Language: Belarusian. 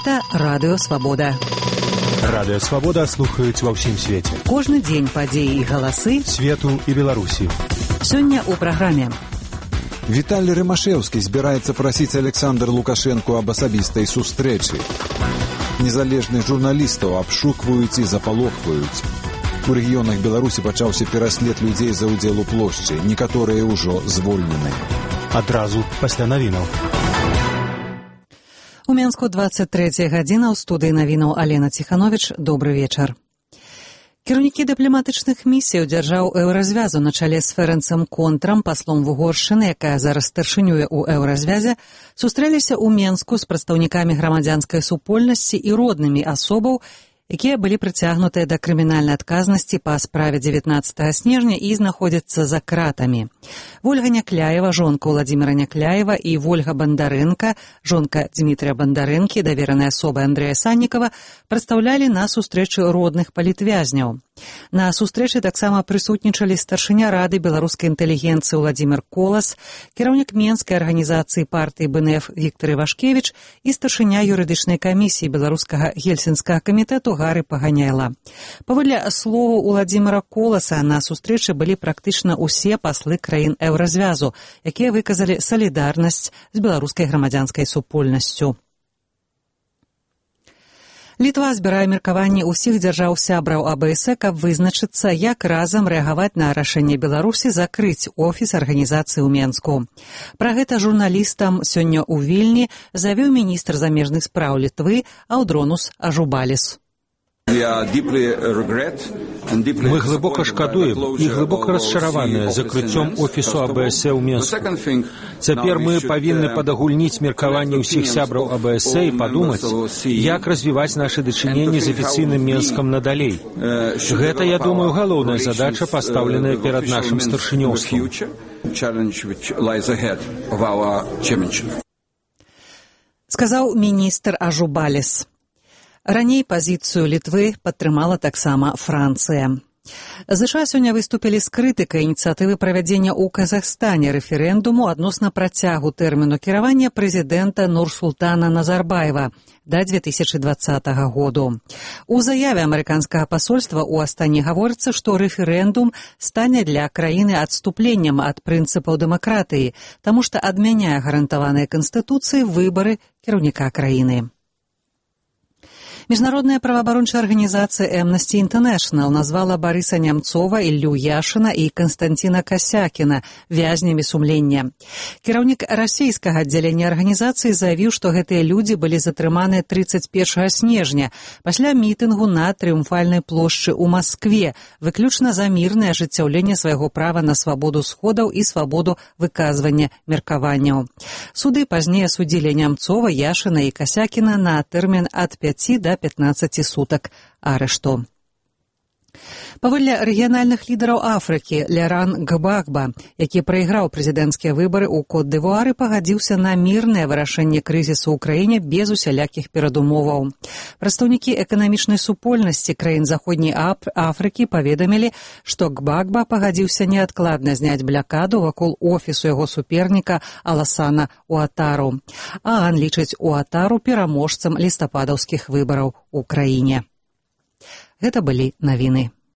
Гэта Радыё Свабода. Радыё Свабода слухаюць ва ўсім свеце. Кожны дзень падзеі і галасы свету і Беларусі. Сёння ў праграме. Віталій Рымашэўскі збіраецца прасіць Александр Лукашенко аб асабістай сустрэчы. Незалежных журналістаў абшукваюць і запалохваюць. У рэгіёнах Беларусі пачаўся пераслед людзей за ўдзел у плошчы. Некаторыя ўжо звольнены. Адразу пасля навінаў. У Менску 23 гадзіна, ў студыі навінаў Алена Ціхановіч. Добры вечар. Кіраўнікі дыпламатычных місій дзяржаў Еўразвязу на чале з Ферэнцам Контрам, паслом Вугоршчыны, якая зараз старшынюе ў Еўразвязе, сустрэліся ў Менску з прадстаўнікамі грамадзянскай супольнасці і роднымі асобаў, якія былі прыцягнутыя да крымінальнай адказнасці па справе 19 снежня і знаходзяцца за кратамі. Вольга Някляева, жонка Владзіміра Някляева, і Вольга Бандарэнка, жонка Дмітрия Бандарэнкі, даверанай асобы Андрэя Саннікава, прадстаўлялі на сустрэчы родных палітвязняў. На сустрэчы таксама прысутнічалі старшыня Рады беларускай інтэлігенцыі Владзімір Колас, кіраўнік Менскай арганізацыі партыі БНФ Віктор Івашкевіч і старшыня юрыдычнай камісіі беларускага гельсінскага камітэту Гары Паганяйла. Паводле словаў Владзіміра Коласа, на сустрэчы былі практычна ўсе паслы краін Еўразвязу, якія выказалі салідарнасць з беларускай грамадзянскай супольнасцю. Літва збірае меркаванне ўсіх дзяржаў-сябраў АБС, каб вызначыцца, як разам рэагаваць на рашэнне Беларусі закрыць офіс арганізацыі ў Менску. Пра гэта журналістам сёння ў Вільні заявіў міністр замежных спраў Літвы Аўдронус Ажубаліс. Мы глыбока шкадуем і глыбока расчараваныя закрыццём офісу АБС ў Менску. Цяпер мы павінны падагульніць меркаванне ўсіх сябраў АБС і падумаць, як развіваць нашы дачыненні з афіцыйным Менскам надалей. Гэта, я думаю, галоўная задача, пастаўленая перад нашым старшынёўствам. Сказаў міністр Ажубаліс. Раней пазіцыю Літвы падтрымала таксама Францыя. ЗША сёння выступілі з крытыкай ініцыятывы правядзення ў Казахстане рэферэндуму адносна працягу тэрміну кіравання прэзідэнта Нурсултана Назарбаева да 2020 году. У заяве амерыканскага пасольства ў Астане гаворыцца, што рэферэндум стане для краіны адступленнем ад прынцыпаў дэмакратыі, таму што адмяняе гарантаваныя Канстытуцыі выбары кіраўніка краіны. Міжнародная праваабарончая арганізацыя Amnesty International назвала Барыса Нямцова, Іллю Яшына і Канстанціна Касякіна вязнямі сумлення. Кіраўнік расійскага аддзялення арганізацыі заявіў, што гэтыя людзі былі затрыманы 31 снежня пасля мітынгу на Трыумфальнай плошчы ў Маскве, выключна за мірнае ажыццяўленне свайго права на свабоду сходаў і свабоду выказвання меркаванняў. Суды пазней асудзілі Нямцова, Яшына і Касякіна на тэрмін ад 5 до 15 сутак арышту. Паводле рэгіянальных лідараў Афрыкі, Ляран Гбагба, які прайграў прэзідэнцкія выбары ў Кот-д'Івуары, пагадзіўся на мірнае вырашэнне крызісу ў краіне без усялякіх перадумоваў. Прадстаўнікі эканамічнай супольнасці краін Заходняй Афрыкі паведамілі, што Гбагба пагадзіўся неадкладна зняць блякаду вакол офісу яго суперніка Аласана Уатару. Аан лічыць Уатару пераможцам лістападаўскіх выбараў у краіне. Гэта былі навіны.